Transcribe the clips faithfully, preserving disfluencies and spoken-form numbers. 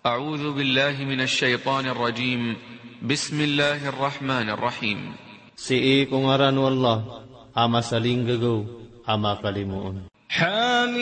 أعوذ بالله من الشيطان الرجيم. بسم الله الرحمن الرحيم. Sii ko ngaran o Allah a masalinggagaw a makalimoon. حم.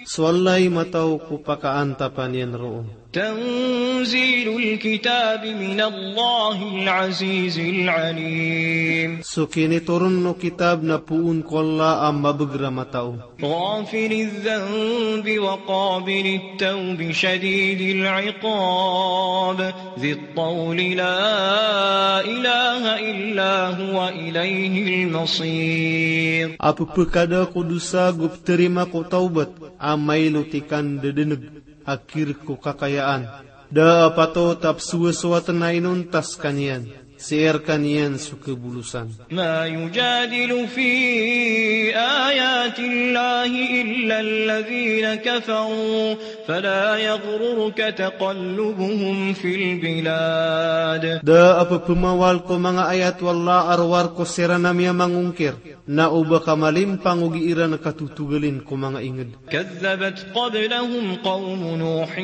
So Allah i matao ko pakaantapan iyan roo. تنزيل الكتاب من الله العزيز العليم. So kinitoron o kitab na poon ko Allah a mabagr a matao. غافر الذنب وقابل التوب شديد العقاب ذي الطول لا إله إلا هو إليه المصير. A pphakada ko dosa go ptharima ko tawbat, a mailot i kandadaneg, a kirk ko kakayaan. Da a patot a psowasowaten a inonta skaniyan. Sii rkaniyan so kabolosan. ما يجادل في آيات الله إلا الذين كفروا فلا يغررك تقلبهم في البلاد. Da a pphmawal ko manga ayat o Allah a rowar ko siran a miyamangongkir, na o ba ka malimpang o gii ran katotogalin ko manga ingd. كذبت قبلهم قوم نوح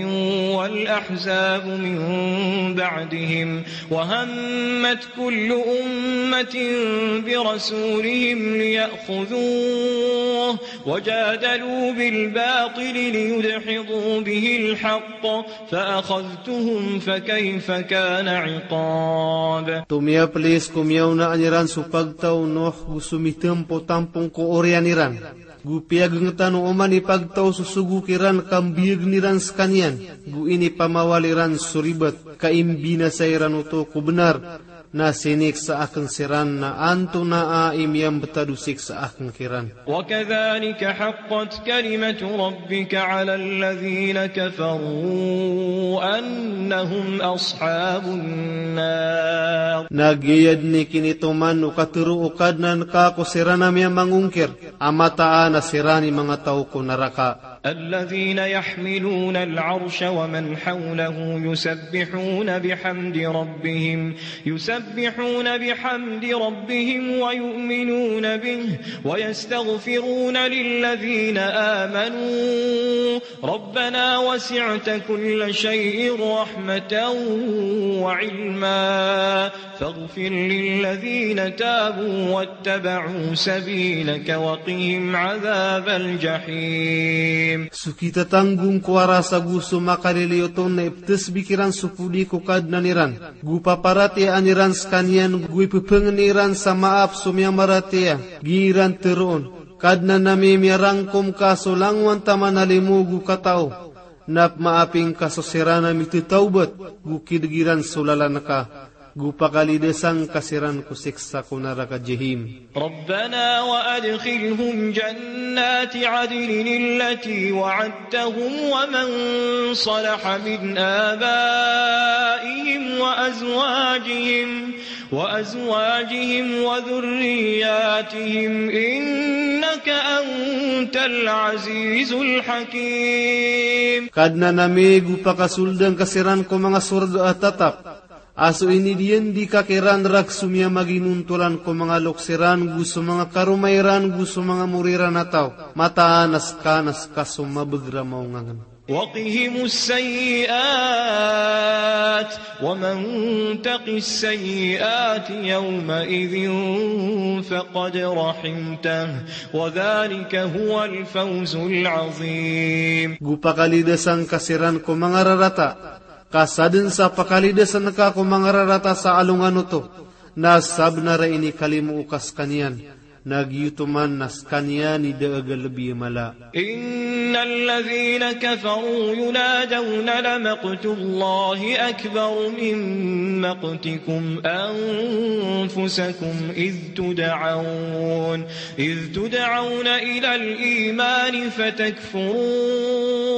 والأحزاب من بعدهم وهمت كل أمة برسولهم ليأخذوه وجادلوا بالباطل ليدحضوا به الحق فأخذتهم فكيف كان عقاب. Tomiyaplis ko miyaonaan iran so pagtaw o Nuh go so mitampo tampong ko oriyan iran. Go piyagngtan o oman i pagtaw so sogo kiran ka mbiyagn iran skaniyan. Go inipamawal iran so ribat ka imbinasa iran oto ko bnar. Na siniksa akn siran na antonaa i miyambtad o siksa akn kiran. وكذلك حقت كلمة ربك على الذين كفروا أنهم أصحاب النار. Na giya dn i kinitoman o katharo o Kadnan ka ko siran a miyamangongkir, a mataan a siran i manga taw ko naraka. الذين يحملون العرش ومن حوله يسبحون بحمد ربهم، يسبحون بحمد ربهم ويؤمنون به ويستغفرون للذين آمنوا ربنا وسعت كل شيء رحمة وعلما فاغفر للذين تابوا واتبعوا سبيلك وقهم عذاب الجحيم. So kitatanggong ko aras ago so makaliliyo oto na ipthasbih kiran so podi ko Kadnan iran. Go paparatiyayaan iran skaniyan, go ipphangni iran sa maap so miyamaratiyaya. Gii ran tharoon, Kadnan ami, miyarangkom ka so langowan taman a limo go katao. Na pmaapin ka so siran a mithatawbat, go kidg iran so lalan ka. Go pakalidasan ka siran ko siksa ko naraka Jahim. ربنا وأدخلهم جنات عدن التي وعدتهم ومن صلح من آبائهم وأزواجهم، وأزواجهم وذرياتهم إنك أنت العزيز الحكيم. Kadnan ami, go pakasoldan ka siran ko manga sorga a tatap. A so inidiyandi ka kiran rk so miyamaginontolan ko manga loks iran, go so manga karoma iran, go so manga mori iran a taw. Mataan a ska na ska so mabagr a maongangn. وقهم السيئات ومن تق السيئات يومئذ فقد رحمته وذلك هو الفوز العظيم. Go pakalidasan ka siran ko manga rarata. Ka sadn sa pakalidasan ka ko manga rarata sa alongan oto, na sabnar a inikalimo o ka skaniyan, na giyoto man na skaniyan i da a galbi a mala. إن الذين كفروا ينادون لمقت الله أكبر من مقتكم أنفسكم إذ تدعون، إذ تدعون إلى الإيمان فتكفرون.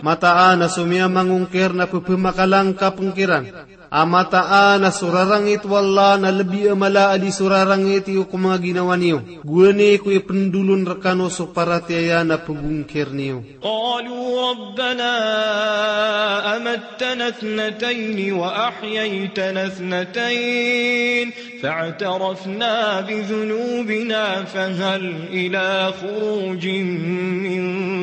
Mataan a so miyamangongkir na pphamakalangkapn kiran A mataan a so rarangit o Allah na lbi a mala a di so rarangit iyo ko manga ginawa niyo. Gowani ko ipndolon rkano so paratiyaya na pgongkir niyo. قالوا ربنا أمتنا اثنتين وأحييتنا اثنتين فاعترفنا بذنوبنا فهل إلى خروج من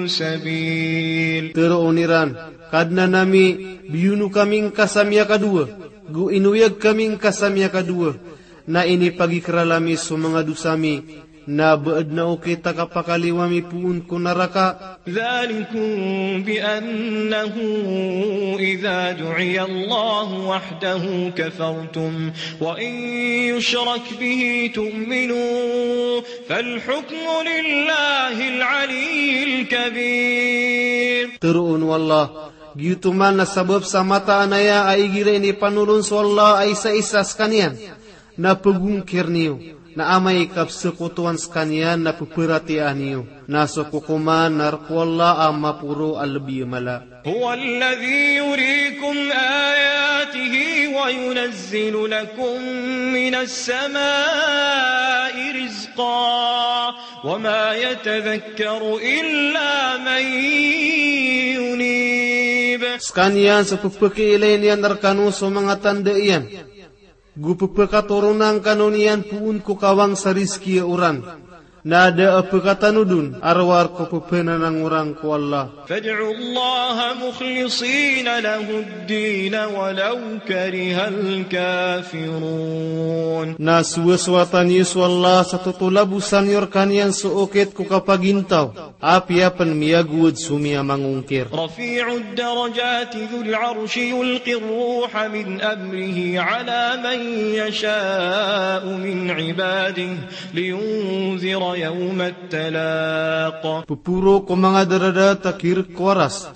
سبيل. Tharoon iran, Kadnan ami, biyono kami ngka sa miyakadowa, go inoyag kami ngka sa miyakadowa, na inipagikral ami so manga dosa mi, na ba adn a okit a kapakaliyo ami poon ko naraka. ذلكم بأنه إذا دعي الله وحده كفرتم وإن يشرك به تؤمنوا فالحكم لله العلي الكبير. Tharoon o Allah, giyoto man na sabap sa mataan aya a igira inipanolon so Allah a isaisa skaniyan, na pgongkir niyo, na amay ka pzakotowan skaniyan na pparatiyayaan iyo, na so kokoman na rk o Allah a maporo a lbi a mala. هو الذي يريكم آياته وينزل لكم من السماء رزقا وما يتذكر إلا من ينيب. Skaniyan so pphakiilay niyan rkano so manga tanda iyan, go pphakatoronan kano niyan poon ko kawang sa rizki a oran. Na da a pkatanod on a rowar ko pphananangorang ko Allah. فادعوا الله مخلصين له الدين ولو كره الكافرون. Na sowasowatan iyo so Allah sa totolabosan iyo rkaniyan so okit ko kapagintaw, apiya pn miyagowad so miyamangongkir. رفيع الدرجات ذو العرش يلقي الروح من أمره على من يشاء من عباده لينذر يوم التلاق. Pphoro ko manga daradat a kirk ko Aras.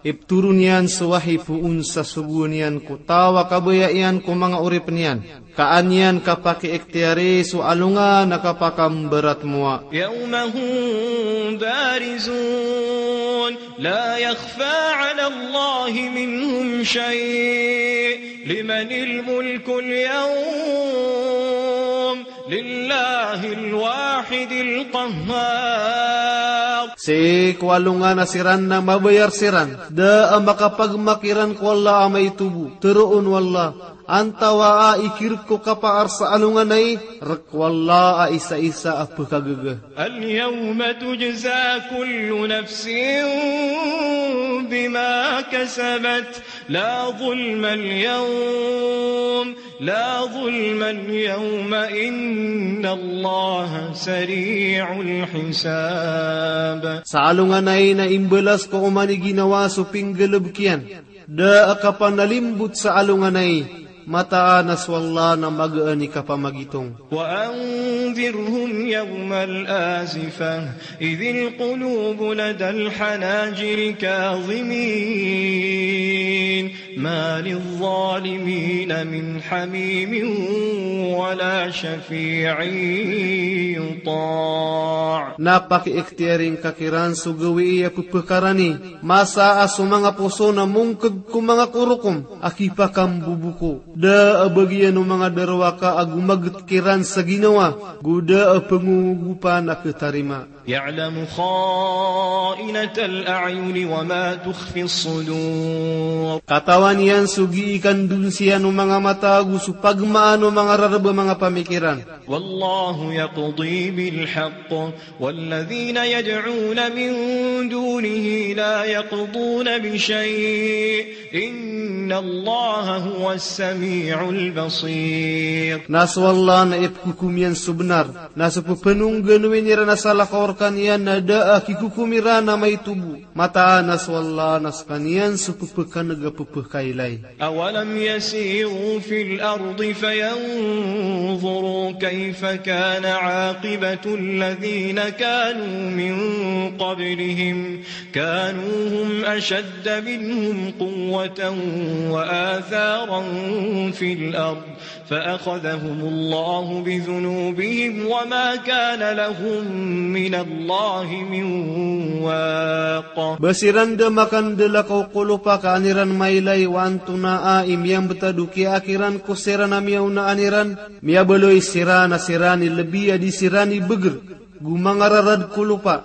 Iptoron iyan so wahi poon sa sogoan iyan ko taw a kabaya iyan ko manga oripn iyan. Ka an iyan kapakiiktiyari so alongan a kapakambaratmowa. يوم هم بارزون لا يخفى على الله منهم شيء لمن الملك اليوم لله الواحد القهار. Sii ko alongan a siran na mabayar siran, da a makapagma kiran ko Allah a maito bo. Tharoon o Allah, antawaa i kirk ko kapaar sa alongan ai, rk o Allah a isaisa a pkhagaga. اليوم تجزى كل نفس بما كسبت لا ظلم اليوم لا ظلم اليوم إن الله سريع الحساب. Sa alongan ai na imbalas ko oman i ginawa so pinggalbk iyan. Da a kapanalimbot sa alongan ai, mataan a so Allah na magaan i kapamagitong. وأنذرهم يوم الآزفة إذ القلوب لدى الحناجر كاظمين ما للظالمين من حميم ولا شفيع يطاع. Na pakiiktiyari ngka kiran so gawii a pphakarani, masa a so manga poso na mongkg ko manga korokom a kipakamboboka. Da a bagian o manga darowaka a gomagt kiran sa ginawa, go da a pngongogopan a khatarima. يعلم خائنة الأعين وما تخفي الصدور. Katawan iyan so gii kandonsiyan o manga mata ago so pagmaan o manga rarb a manga pamikiran. والله يقضي بالحق والذين يدعون من دونه لا يقضون بشيء إن الله هو السميع البصير. Na so Allah na ipkhokom iyan so bnar, na so pphanongganowi niran a salakaw rkaniyan na da a kikhokom iran a maito bo. Mataan a so Allah na skaniyan so pphakaneg a pphakailay. أولم يسيروا في الأرض فينظروا كيف كان عاقبة الذين كانوا من قبلهم كانوا هم أشد منهم قوة وآثارا في الأرض فأخذهم الله بذنوبهم وما كان لهم من الله من واق. Ba siran da makandala ko kolopa ka an iran mailay o an Tonaa i miyambtad o kiyaak iran ko siran a miyaonaan iran, miyabaloy siran a siran i lbi a di siran i bgr, go mangararad ko lopa,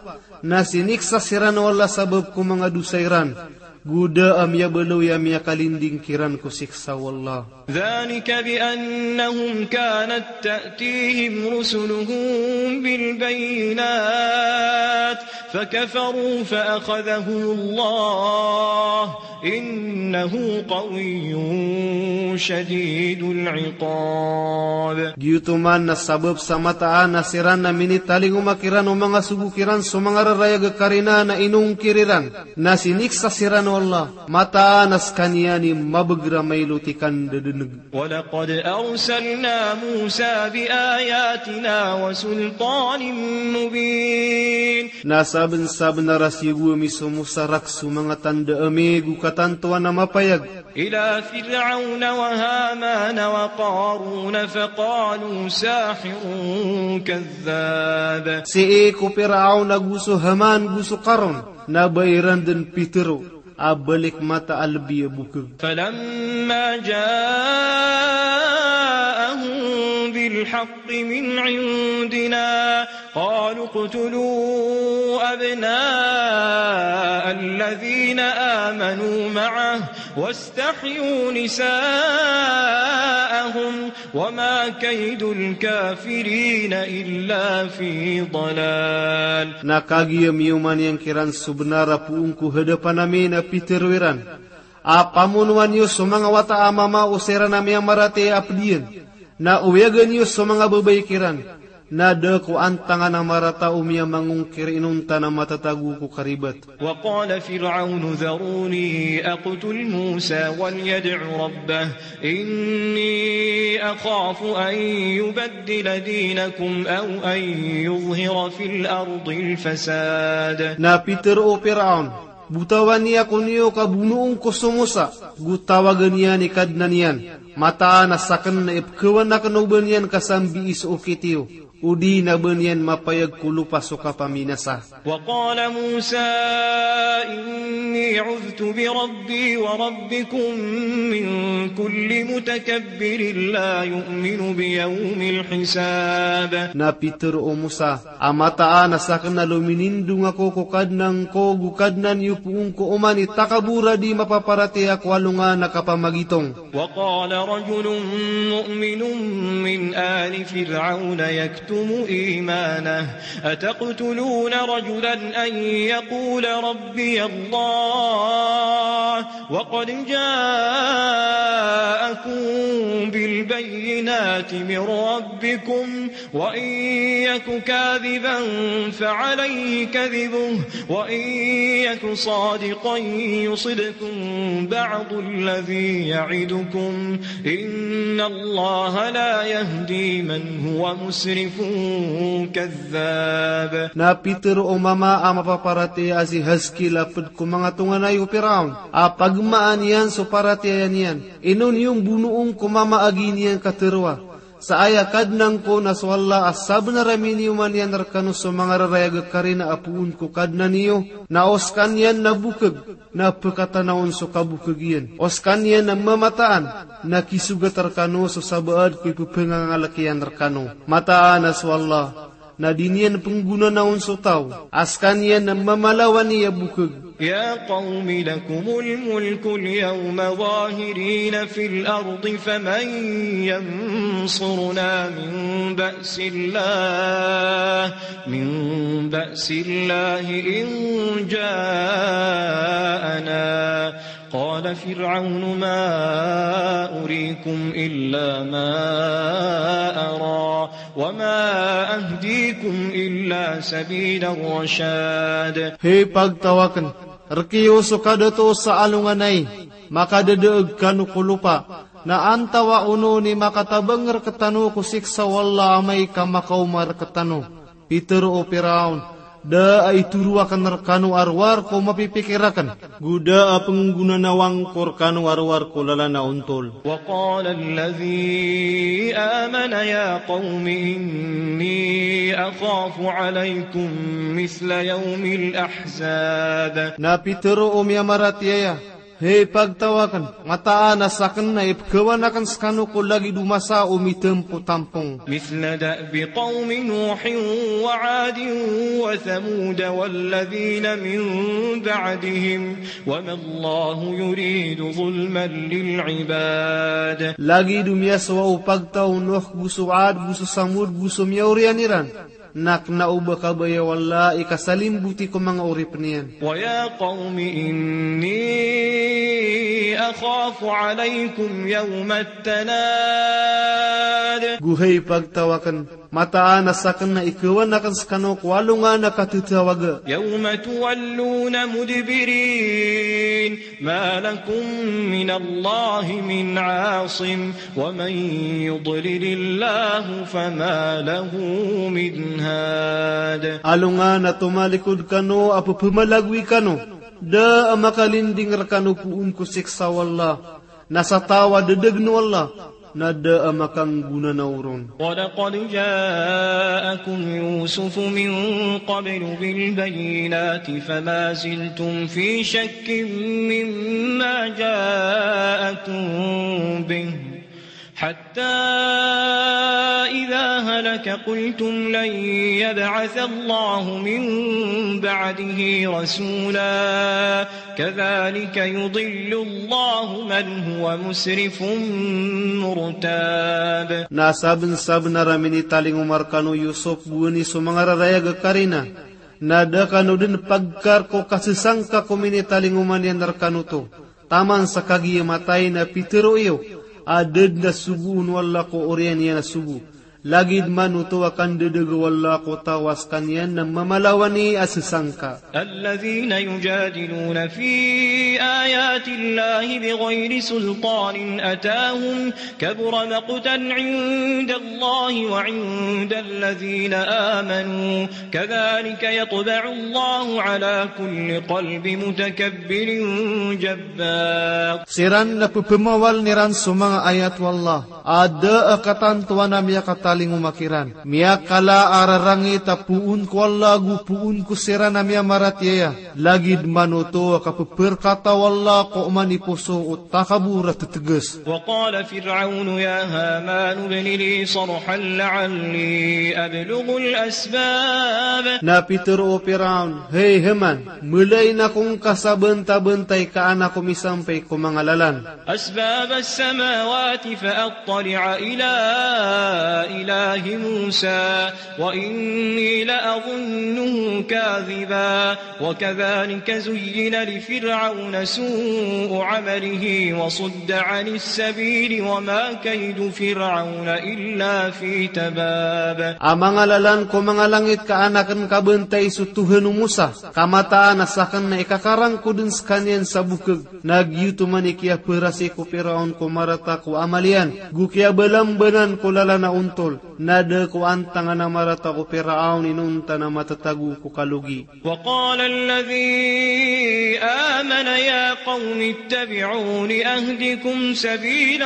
na siniksa siran o Allah sabap ko manga dosa iran, go da a miyabaloy a miyakalinding kiran ko siksa o Allah. ذلك بأنهم كانت تأتيهم رسلهم بالبينات فكفروا فأخذهم الله إنه قوي شديد العقاب. Giyoto man na sabap sa mataan a siran na minitalingoma kiran o manga sogo kiran so manga rarayag a karina na inongkir iran, na siniksa siran o Allah, mataan a skaniyan i mabgr a mailot i kandadneg. ولقد أرسلنا موسى بآياتنا وسلطان مبين. Na sabnsabnar a siyogo ami so Musa rak so manga tanda ami go katantoan a mapayag. إلى فرعون وهامان وقارون فقالوا ساحر كذاب. Sii ko Firaon ago so Haman go so Karun, na ba iran dn pitharo a balik mata a lbi a bokg. فلما جاءهم بالحق من عندنا قالوا اقتلوا أبناء الذين آمنوا معه واستحيوا نساءهم وما كيد الكافرين إلا في ضلال. Na kagiya miyoman iyan kiran so bnar a poon ko hadapan ami na pitharo iran a pamonoan iyo so manga wata a mama o siran a miyamaratiyaya a pd iyan, na oyagan iyo so manga babay kiran, na da ko antangan a marata o miyamangongkir inonta na matatago ko karibat. وقال فرعون ذروني أقتل موسى وليدع ربه إني أخاف أن يبدل دينكم أو أن يظهر في الأرض الفساد. Na pitharo o Firaon, botawan iyan ko niyo ka bonoon ko so Musa, go tawagan iyan i Kadnan iyan, mataan a sakn na ipkhawan akn o ba niyan ka sambii so okit iyo, odi na ba niyan mapayag ko lopa so kapaminasa. وقال موسى إني عذت بربي وربكم من كل متكبر لا يؤمن بيوم الحساب. Na pitharo o Musa a mataan a sakn na lominindong ako ko Kadnan ko go Kadnan iyo poon ko oman i takabor a di mapaparatiyaya ko alongan a kapamagitong. وقال رجل مؤمن من آل فرعون يكتم إيمانه أتقتلون رجلا أن يقول ربي الله وقد جاءكم بالبينات من ربكم وإن يك كاذبا فعليه كذبه وإن يك صادقا يصبكم بعض الذي يعدكم إن الله لا يهدي من هو مسرف كذاب. Na pitharo o mama a mapaparatiyaya a si Haskil a pd ko manga tonganay o Firaon a pagmaan iyan so paratiyaya niyan, ino niyo mbonoon ko mama a gii niyan katharoa sa aya Kadnan ko na so Allah a sabnar a miniyoman iyan rkano so manga rarayag a karina a poon ko Kadnan iyo, na o skaniyan na bokg, na pkatanaon so kabokg iyan. O skaniyan na mamataan, na kisogat rkano so sabaad ko ipphangangalakiyan rkano. Mataan a so Allah na di niyan pnggonanaon so taw a skaniyan na mamalawani a bokg. يا قوم لكم الملك اليوم ظاهرين في الأرض فمن ينصرنا من بأس الله من بأس الله إن جاءنا قال فرعون ما أريكم إلا ما أرى وما أهديكم إلا سبيل الرشاد. Hay pagtaw akn, rk iyo so kadatoos a alongan ai makadadaag kano ko lopa, na antawaa on i makatabang rktano ko siksa o Allah amay ka makaoma rktano. Pitharo o Firaon, da a itoro akn rkano a rowar ko mapipikir akn, go da a pnggonanawa ngko rkano a rowar ko lalan a ontol. وقال الذي آمن يا قوم إني أخاف عليكم مثل يوم الأحزاب. Na pitharo o miyamaratiyaya, Hay pagtaw akn, mataan a sakn na ipkhawan akn skano ko lagid o masa o mitampotampong. مثل دأب قوم نوح وعاد وثمود والذين من بعدهم وما الله يريد ظلما للعباد. Lagid o miyasowa o pagtaw o Nuh, go so Ad, go so Samud, go so miyaoriyan iran. Na kna o ba kabaya o Allah i kasalimboti ko manga oripn iyan. ويا قوم إني أخاف عليكم يوم التناد. Go hay pagtaw akn, mataan a sakn na ikhawan akn skano ko alongan a katatawaga. يوم تولون مدبرين ما لكم من الله من عاصم ومن يضلل الله فما له من هاد. Alongan a tomalikod kano a pphamalagoy kano, da a makalinding rkano poon ko siksa o Allah, na sa taw a ddgn o Allah, na da a makanggonanaw ron. ولقد جاءكم يوسف من قبل بالبينات فما زلتم في شك مما جاءكم به حتى إذا هلك قلتم لن يبعث الله من بعده رسولا كذلك يضل الله من هو مسرف مرتاب. Na sabnsabnar a minitalingoma rkano o Yusuf gowani so manga rarayag a karina, na da kano dn pagkar ko kasasangka ko minitalingoma niyan rkano oto. Taman sa kagiya matay na pitharo iyo a da dn a sogoon o Allah ko oriyan iyan a sogo. Lagid man oto a kandadaga o Allah ko taw a skaniyan na mamalawani a sasangka. الذين يجادلون في آيات الله بغير سلطان أتاهم كبر مقتا عند الله وعند الذين آمنوا كذلك يطبع الله على كل قلب متكبر جبار. Siran na pphmawaln iran so manga ayat o Allah a da a katantowan a miyakatalingoma kiran. Miyakala a rarangit a poon ko Allah ago poon ko siran a miyamaratiyaya. Lagid man oto a kapprkata o Allah ko oman i poso o takabor a ttgs. وقال فرعون يا هامان ابن لي صرحا لعلي أبلغ الأسباب. Na pitharo o Firaon, hay Haman, mlay na ko ngka sa bantabantay ka an ako misampay ko manga lalan. أسباب السماوات فأطلع إلى إله موسى وإني لأظنه كاذبا وكذلك زين لفرعون سوء عمله وصد عن السبيل وما كيد فرعون إلا في تباب. A manga lalan ko manga langit ka an akn kabantay so Tohan o Musa, ka mataan a sakn na ikakarangkod dn skaniyan sa bokg. Na giyoto man i kiyaparasi ko Firaon ko marata ko amal iyan, go kiyabalambanan ko lalan a ontol. Na da ko antangan a marata ko Firaon inonta na matatago ko kalogi. وقال الذي آمن يا قوم اتبعون أهدكم سبيل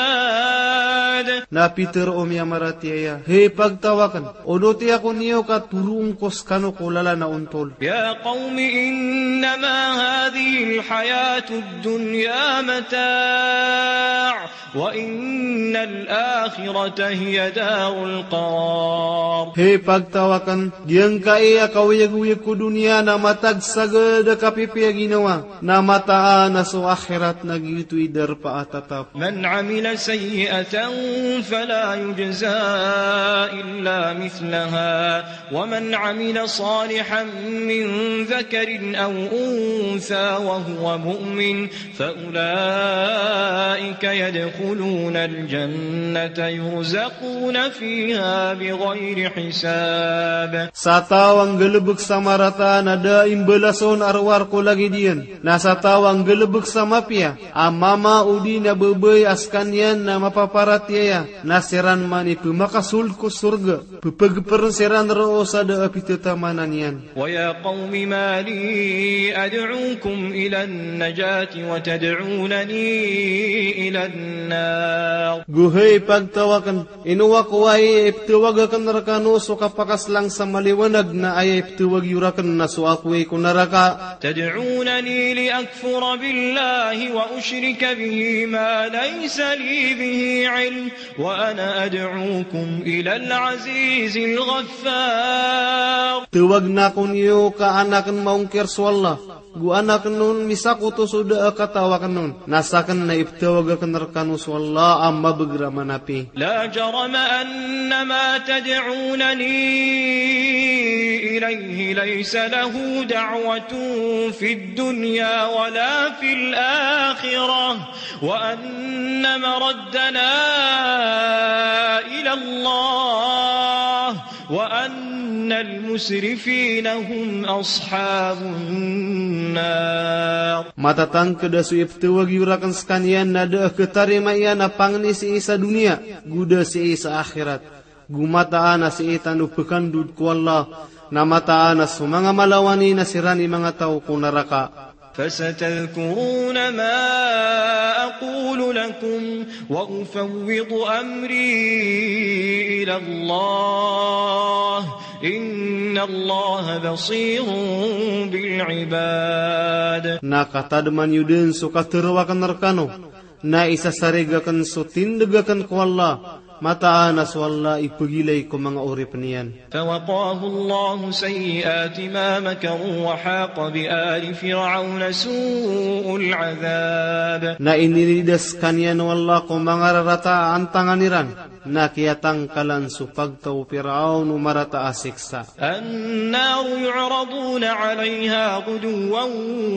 الرشاد. Na pitharo o miyamaratiyaya, hay pagtaw akn, onoti ako niyo ka toroon ko skano ko lalan a ontol. يا قوم إنما هذه الحياة الدنيا متاع وإن الآخرة هي دار القرار. Hay pagtaw akn, giyangkai a kaoyagoyag ko doniya na matagsagad a kapipiya ginawa, na mataan a so akhirat na giyoto i darpa a tatap. من عمل سيئة فلا يجزى إلا مثلها ومن عمل صالحا من ذكر أو أنثى وهو مؤمن فأولئك يدخلون الجنة يرزقون فيها بغير حساب. Sa taw a nggalbk sa marata na da a imbalason a rowar ko lagid iyan. Na sa taw a nggalbk sa mapiya a mama odi na babay a skaniyan na mapaparatiyaya, na siran man i pmakasold ko sorga. Ppagprn siran roo sa da a pitataman iyan. ويا قوم ما لي أدعوكم إلى النجاة وتدعونني إلى النار النار. Go hay pagtaw akn, ino ako aya iptawag akn rkano so kapakaslang sa maliwanag na aya iptawag iyo rakn na so apoy ko naraka. تدعونني لأكفر بالله وأشرك به ما ليس لي به علم وأنا أدعوكم إلى العزيز الغفار. Tawagn ako niyo ka an akn maongkir so Allah, go an akn on misakoto so da a kataw akn on, na sakn na iptawag akn rkano so Allah a mabagr a manapi. لا جرم أن ما تدعونني إليه ليس له دعوة في الدنيا ولا في الآخرة وأن مردنا إلى الله وأن المسرفين هم أصحاب النار. Matatangkd a so iptawag iyo rakn skaniyan na da a khatarima iyan a pangni sii sa doniya, go da sii sa akhirat. Go mataan a sii tano pkandod ko Allah, na mataan a so manga malawani na siran i manga taw ko naraka. فستذكرون ما أقول لكم وأفوض أمري إلى الله إن الله بصير بالعباد. Na katadman iyo dn so katharo akn rkano, na isasarig akn so tindg akn ko Allah, mataan a so Allah i pagilay ko manga oripn iyan. فوقاه الله سيئات ما مكروا وحاق بآل فرعون سوء العذاب. Na inilidas skaniyan o Allah ko manga rarata a antangan iran, na kiyatangkalan so pagtaw o Firaon o marata a siksa. النار يعرضون عليها غدوا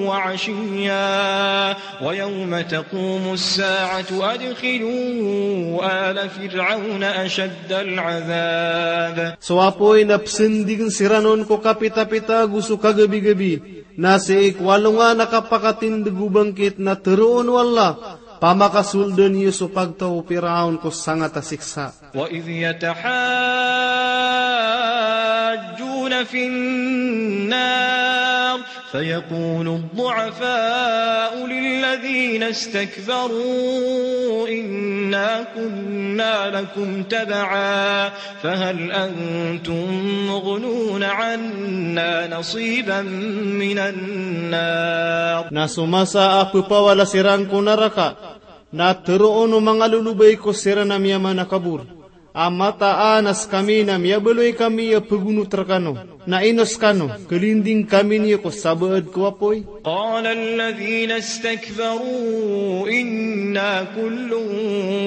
وعشيا ويوم تقوم الساعة أدخلوا آل فرعون أشد العذاب. So apoy na psndign siran on ko kapitapita go so kagabigabi, na sii ko alongan a kapakatindg o bangkit na tharoon o Allah, pamakasoldn iyo so pagtaw o Firaon ko sangat a siksa. وإذ يتحاجون في النار فيقول الضعفاء للذين استكبروا إنا كنا لكم تبعا فهل أنتم مغنون عنا نصيبا من النار. Na so masa a pphawala siran ko naraka, na tharoon o manga lolobay ko siran a miyamanakabor a mataan a skami na miyabaloy kami a pgonot rkano, na ino skano, kalinding kami niyo ko sabaad ko apoy? قال الذين استكبروا إنا كل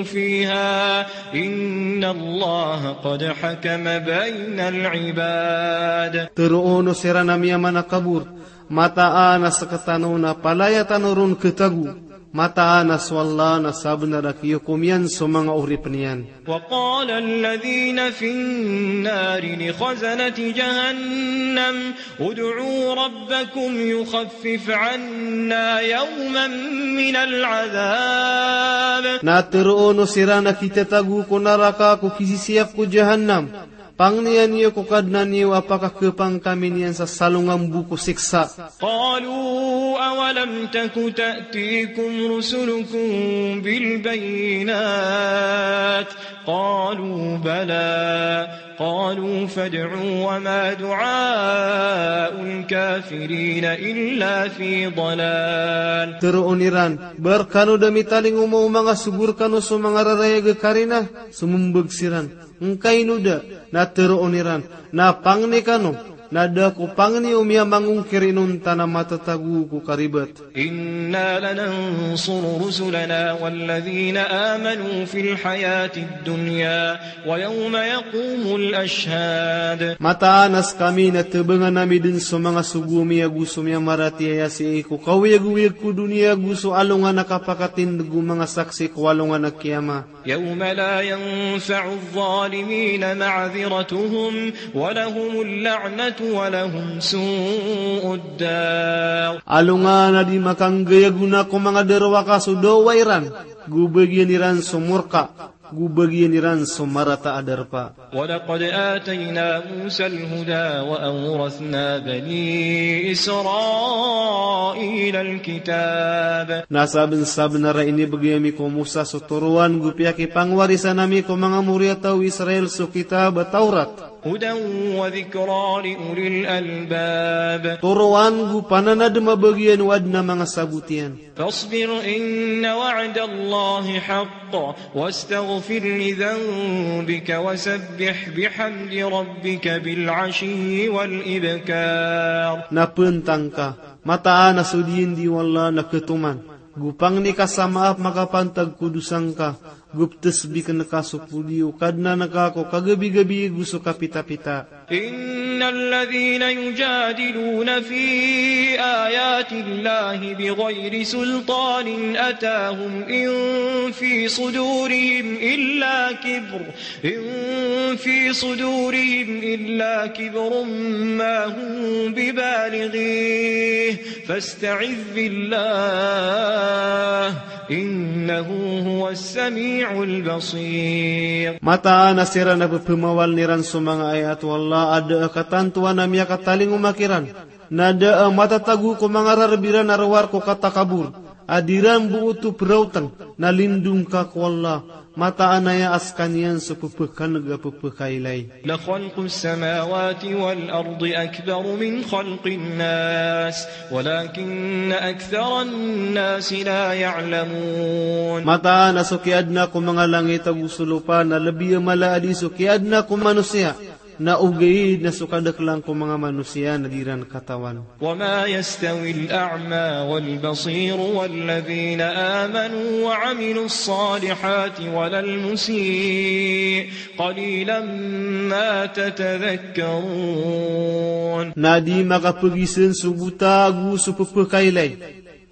فيها إن الله قد حكم بين العباد. Tharoon o siran a miyamanakabor, mataan a sktano na palaya tano ron khatago, mataan a so Allah na sabnar a kiyokom iyan so manga oripn iyan. وقال الذين في النار لخزنة جهنم ادعوا ربكم يخفف عنا يوما من العذاب. Na tharoon o siran a kitatago ko naraka ko kisisiyap ko Jahannam, pangniya niyo ko Kadnan iyo a pakakhapang kami niyan sa salongan bo ko siksa. قالوا أولم تك تأتيكم رسلكم بالبينات قالوا بلى قالوا فادعوا وما دعاء الكافرين إلا في ضلال. Tharoon iran, ba rkano da mitalingoma o manga sogo rkano so manga rarayag a karina? Sombag siran, ngkaino da? Na tharoon iran, na pangni kano, na da ko pangni o miyamangongkir inonta na matatago ko karibat. إنا لننصر رسلنا والذين آمنوا في الحياة الدنيا ويوم يقوم الأشهاد. Mataan a skami na thabangan ami dn so manga sogo ami ago so miyamaratiyaya sii ko kaoyagoyag ko doniya ago so alongan a kapakatindg o manga saksi ko alongan a kiyama. يوم لا ينفع الظالمين معذرتهم ولهم اللعنة ولهم سوء الدار. Alongan a di makanggay a gona ko manga darowaka so dawa iran, go bagian iran so morka, go bagian iran so marata a darpa. ولقد آتينا موسى الهدى وأورثنا بني إسرائيل الكتاب. Na sabnsabnar a inibgay ami ko Musa so toroan go piyakipangwarisan ami ko manga moriyataw o Israel so kitab a Tawrat. هدى وذكرى لأولي الألباب. Toroan go pananadm a bagian o adn a manga sabot iyan. فاصبر إن وعد الله حق واستغفر لذنبك وسبح بحمد ربك بالعشي والإبكار. Na pntang ka, mataan a so diyandi o Allah na khatoman, go pangni ka sa maap makapantag ko dosa ngka, go ptsbikn ka so podi o Kadnan ka ko kagabi-gabi go so kapitapita. إن الذين يجادلون في آيات الله بغير سلطان أتاهم إن في صدورهم إلا كبر، إن في صدورهم إلا كبر ما هم ببالغيه، فاستعذ بالله، إنه هو السميع البصير. Mataan a siran a pphamawaln iran so manga ayat o Allah a da a katantowan a miyakatalingoma kiran, na da a matatago ko manga rarb iran a rowar ko katakabor, a di ran bo oto praotn, na lindong ka ko Allah, mataan aya a skaniyan so pphakan'g a pphakailay. لخلق السماوات والأرض أكبر من خلق الناس ولكن أكثر الناس لا يعلمون. Mataan a so kiyaadna ko manga langit ago so lopa na lbi a mala a di so kiyaadna ko manosiya, na ogaid na so kadaklan ko manga manosiya na di ran katawan. وما يستوي الأعمى والبصير والذين آمنوا وعملوا الصالحات ولا المسيء قليلا ما تتذكرون. Na di makapgizn so bota ago so pphakailay,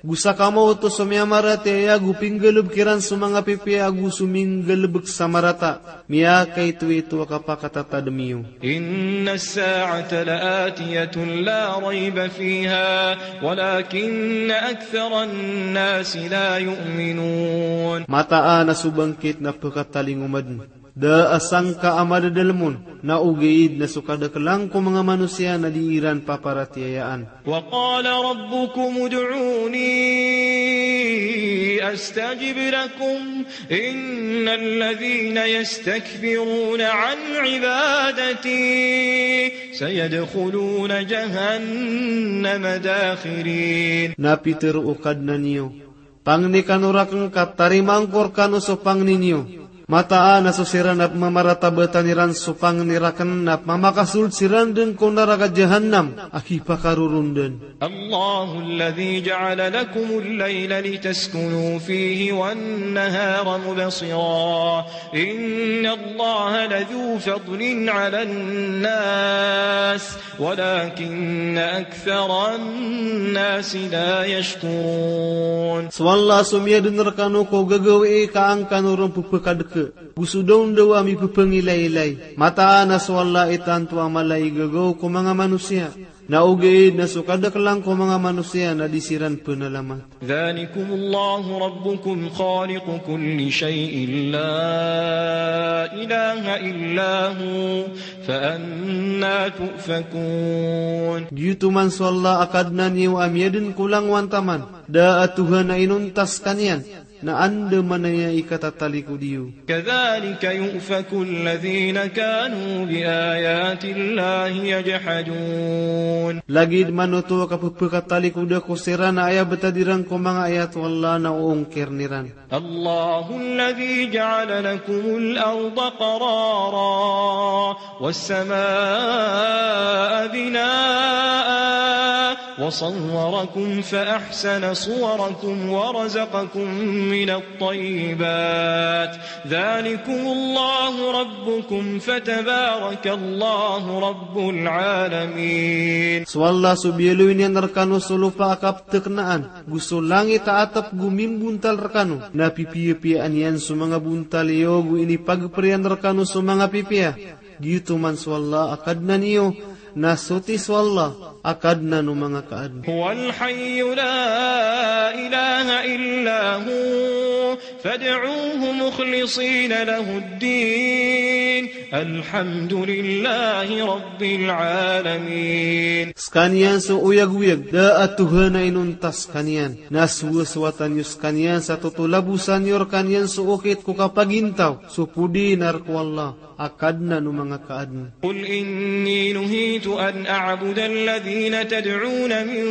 go sa kamaoto so miyamaratiyaya, go pinggalbk iran so manga pipiya ago so minggalbk sa marata. Miyakaitoito a kapakatatadm iyo. إن الساعة لآتية لا ريب فيها ولكن أكثر الناس لا يؤمنون. Mataan a so bangkit na pkatalingoma dn, da a sangka a madadalm on, na ogaid na so kadaklan ko manga manosiya na di iran paparatiyayaan. وقال ربكم ادعوني أستجب لكم إن الذين يستكبرون عن عبادتي سيدخلون جهنم داخرين. Na pitharo o Kadnan iyo, pangni kano rakn ka tarimaan ko rkano so pangni niyo. Mataan a so siran a pmamaratabatan iran so pangni rakn na pmamakasold siran dn ko naraka Jahannam a khipakaroron dn. الله الذي جعل لكم الليل لتسكنوا فيه والنهار مبصرا إن الله لذو فضل على الناس ولكن أكثر الناس لا يشكرون. So Allah so miyadn rkano ko gagawii ka an kano ron pphakadk, go so dawndaw a mipphangilay-ilay. Mataan a so Allah i tanto a mala i gagaw ko manga manosiya. Na ogaid na so kadaklan ko manga manosiya na di siran pnalamat. ذلكم الله ربكم خالق كل شيء لا إله إلا هو فأنى تؤفكون. Giyoto man so Allah a Kadnan iyo a miyadn ko langowan taman, da a Tohan a inonta skaniyan, na andamanaya i katatalikod iyo. كذلك يؤفك الذين كانوا بآيات الله يجحدون. Lagid man oto a kapphakatalikoda ko siran a aya btad iran ko manga ayat o Allah na oongkirn iran. الله الذي جعل لكم الأرض قرارا والسماء بناء وصوركم فأحسن صوركم ورزقكم من الطيبات ذلكم الله ربكم فتبارك الله رب العالمين. So Allah so biyaloy niyan rkano so lopa a kapthknaan, go so langit a atp go mimbontal rkano, na pipiyapiyaan iyan so manga bontal iyo, go inipagpr iyan rkano so manga pipiya. Giyoto man so Allah a Kadnan iyo, na soti so Allah a Kadnan o manga kaadn. هو الحي لا إله إلا هو فادعوه مخلصين له الدين. الحمد لله رب العالمين. Skaniyan so oyagoyag, da a Tuhan a inonta skaniyan. Na sowasowatan iyo skaniyan sa totolabosan iyo rkaniyan so okit ko kapagintaw, so podi na rk o Allah a Kadnan o manga kaadn. قل إني نهيت أن أعبد الذين تدعون من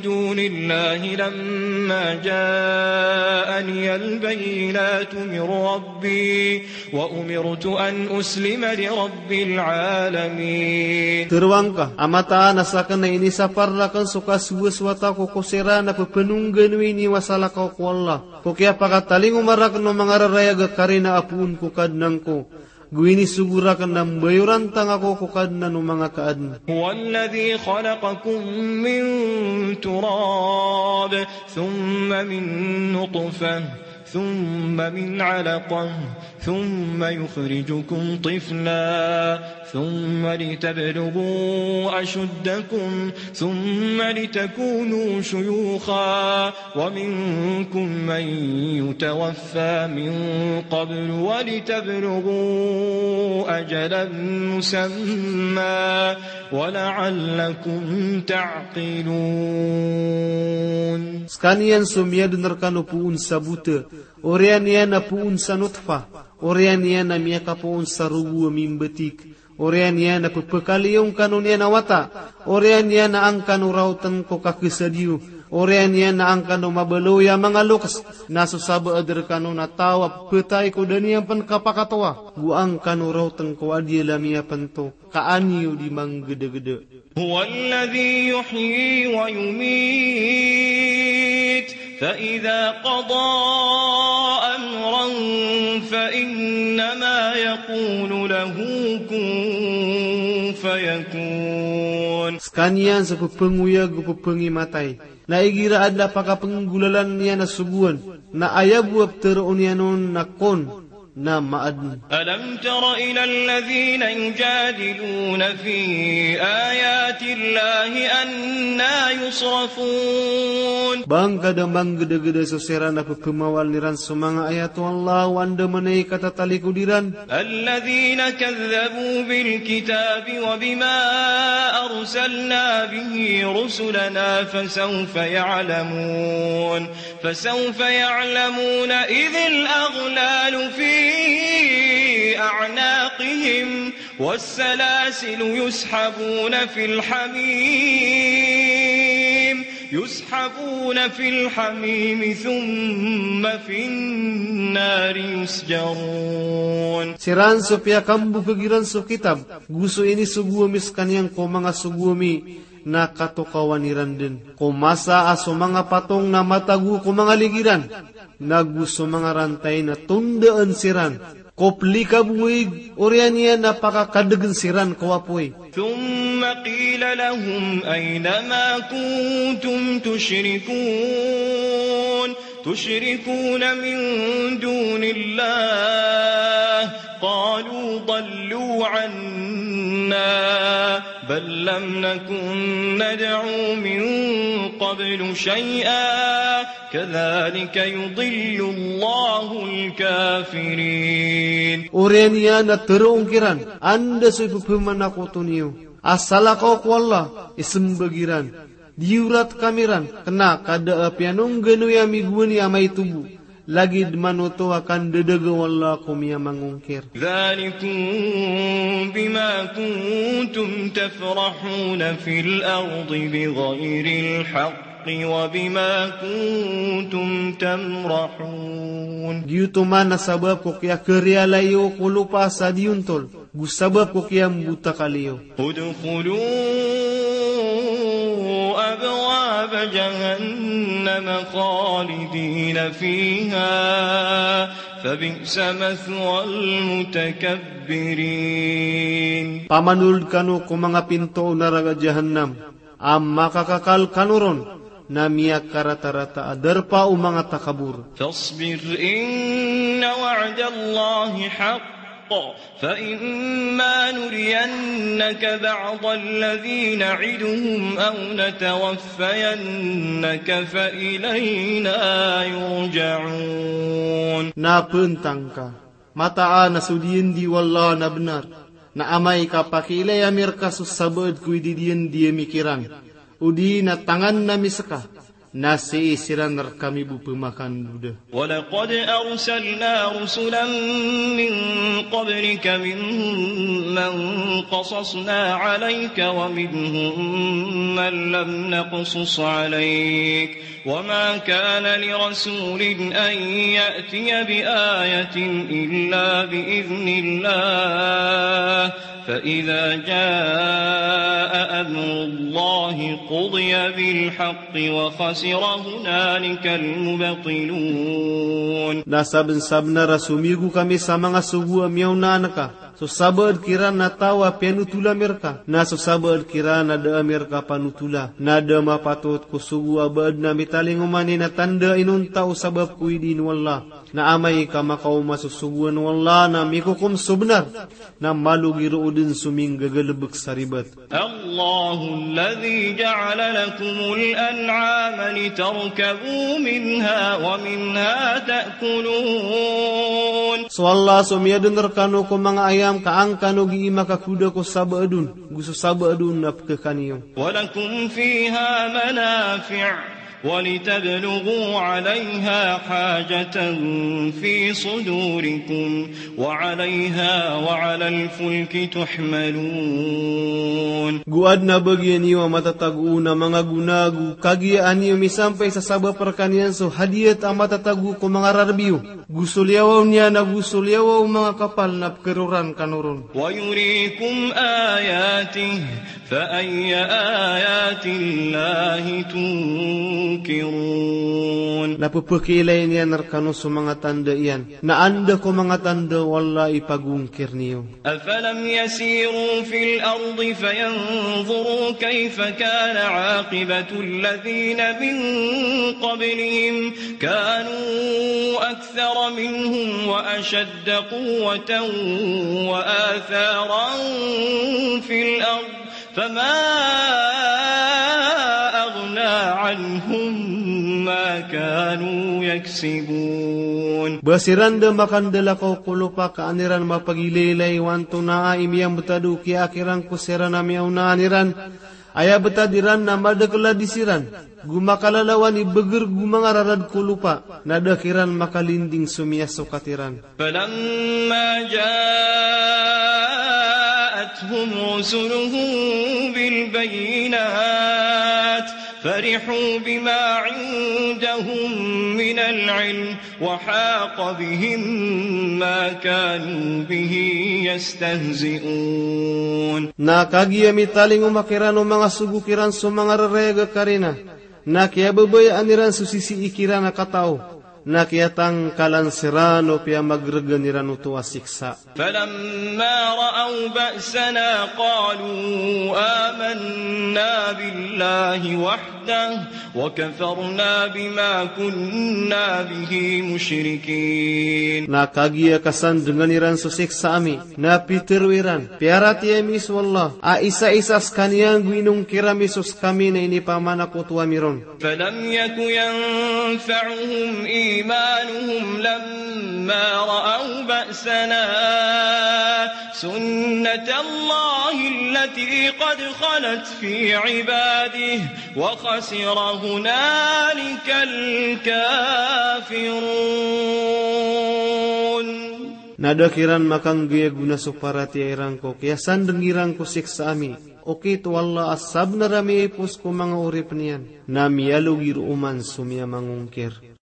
دون الله لما جاءني البينات من ربي وأمرت أن أسلم لرب العالمين. Tharoang ka a mataan a sakn na inisapar rakn so kasowasowat ako ko siran a pphanoganoi niyo a salakaw ko Allah ko kiyapakatalingoma rakn o manga rarayag a karina a poon ko Kadnan ko, go inisogo rakn a mbayorantang ako ko Kadnan o manga kaadn. هو الذي خلقكم من تراب ثم من نطفة ثم من علقة ثم يخرجكم طفلا ثم لتبلغوا أشدكم ثم لتكونوا شيوخا ومنكم من يتوفى من قبل ولتبلغوا أجلا مسمى ولعلكم تعقلون. Skaniyan so miyadn rkano poon sa bota, oriyan iyan a poon sa notfa, oriyan iyan a miyakapoon sa rogo a mimbatik, oriyan iyan a pphakaliyo ngkano niyan a wata, oriyan iyan a angkano raotn ko kakasad iyo, oriyan iyan a angkano mabaloy a manga loks, na so sabaad rkano na taw a pphataay ko da niyan pn kapakatowa, go angkano raotn ko adiyala miyapnto, ka an iyo di manggdagda. هو الذي يحيي ويميت فإذا قضى أمرا فإنما يقول له كن فيكون. Skaniyan so pphangoyag go pphangimataay. Na igira adn a pakapnggolalan iyan a sogoan, na aya bo a ptharoon iyan on na kun, na maadn. ألم تر إلى الذين يجادلون في آيات الله أنى يصرفون. Ba ngka da manggdagda so siran a pphamawalan iran so manga ayat o Allah o anda man i katatalikod iran. الذين كذبوا بالكتاب وبما أرسلنا به رسلنا فسوف يعلمون. فسوف يعلمون إذ الأغلال في أعناقهم والسلاسل يسحبون في الحميم، يسحبون في الحميم ثم في النار يسجرون. Siran so piyakambokag iran so kitab, go so inisogo ami skaniyan ko manga sogo ami, na katokawan iran dn ko masa a so manga patong na matago ko manga lig iran, na go so manga rantay na tondaan siran ko plikaboig, oriyan iyan a pakakadgn siran ko apoy. ثم قيل لهم أين ما كنتم تشركون، تشركون من دون الله، قالوا ضلوا عنا، بل لم نكن ندعو من قبل شيئا، كذلك يضل الله الكافرين. Oriyan iyan a tharoon kiran, anda so ipphamakoto niyo a salakaw ko Allah, ismbag iran. Di orat kami ran, kna ka da a piyanongganoy ami gowani a maito bo, lagid man oto a kandadaga o Allah ko miyamangongkir. ذلكم بما كنتم تفرحون في الأرض بغير الحق وبما كنتم تمرحون. Giyoto man a sabap ko kiyakariyalay iyo ko lopa sa di ontol, go sabap ko kiyambotakal iyo. ادخلوا أبواب جهنم خالدين فيها فبئس مثوى المتكبرين. Pamanold kano ko manga pinto o naraka Jahannam, a makakakal kano ron, na miyakaratarata a darpa o manga takabor. فاصبر إن وعد الله حق فإما نرينك بعض الذي نعدهم أو نتوفينك فإلينا يرجعون. Na pntang ka, mataan a so diyandi o Allah na bnar, na amay ka pakiilaya mi rka so sabaad ko ididiyandi ami kiran, odi na tangan ami ska, na sii siran rkami bo pmakandoda. ولقد أرسلنا رسلا من قبلك منهم من قصصنا عليك ومنهم من لم نقصص عليك وما كان لرسول أن يأتي بآية إلا بإذن الله فإذا جاء أمر الله قضي بالحق وخسر هنالك المبطلون. Na sabnsabnar a somiyogo kami sa manga sogo a miyaona anka, so sabaad kiran na taw a piyanotola mi rka, na so sabaad kiran na da ami rka panotola, na da mapatot ko sogo a ba adn a mitalingoma niyan a tanda a inonta o sabap ko idin o Allah. Na amay ka makaoma so sogoan o Allah na mikokom so bnar, na malogi roo dn so minggagalbk sa ribat. الله الذي جعل لكم الأنعام لتركبوا منها ومنها تأكلون. So Allah so miyadn rkano ko manga ayam ka an kano gii makakoda ko sabaad on, go so sabaad on na pkhakan iyo. ولكم فيها منافع ولتبلغوا عليها حاجة في صدوركم وعليها وعلى الفلك تحملون. Go adn a bagian iyo a matatago on a manga gona go kagiya an iyo misampay sa sabap rkaniyan so hadiyat a matatago ko manga rarb iyo, go so liyawaw niyan ago so liyawaw o manga kapal na pkharoran kano ron. ويريكم آياته فأي آيات الله تنكرون. Na pphakilay niyan rkano so manga tanda iyan, na anda ko manga tanda o Allah i pagongkir niyo. أفلم يسيروا في الأرض فينظروا كيف كان عاقبة الذين من قبلهم كانوا أكثر منهم وأشد قوة وآثارا في الأرض فما أغنى عنهم ما كانوا يكسبون. Ba siran da makandalakaw ko lopa ka an iran mapagilaylay o antonaa i miyambtad o kiyaakir angko siran a miyaonaan iran. Aya btad iran na madakl a di siran, go makalalawan i bgr go manga rarad ko lopa, na da kiran makalinding so miyasokat iran. فلما جاءتهم رسلهم بالبينات فرحوا بما عندهم من العلم وحاق بهم ما كانوا به يستهزئون. Na kagiya mitalingoma kiran o manga sogo kiran so manga rarayag a karina, na kiyababayaan iran so sisii kiran a katao, na kiyatangkalan siran o piyamagrgan iran oto a siksa. فلما رأوا بأسنا قالوا آمنا بالله وحده وكفرنا بما كنا به مشركين. Na kagiya kasandngan iran so siksa ami, na pitharo iran, piyaratiyaya mi so Allah, a isaisa skaniyan go inongkir ami so skami na inipamanakoto ami ron. فلم يك ينفعهم إيمانهم لما رأوا بأسنا سنة الله التي قد خلت في عباده وخسر هنالك الكافرون. Na da kiran makanggay a gona so paratiyaya iran ko kiyasandng iran ko siksa ami, okit o Allah a sabnar a miyaipos ko manga oripn iyan, na miyalogi roo man so miyamangongkir.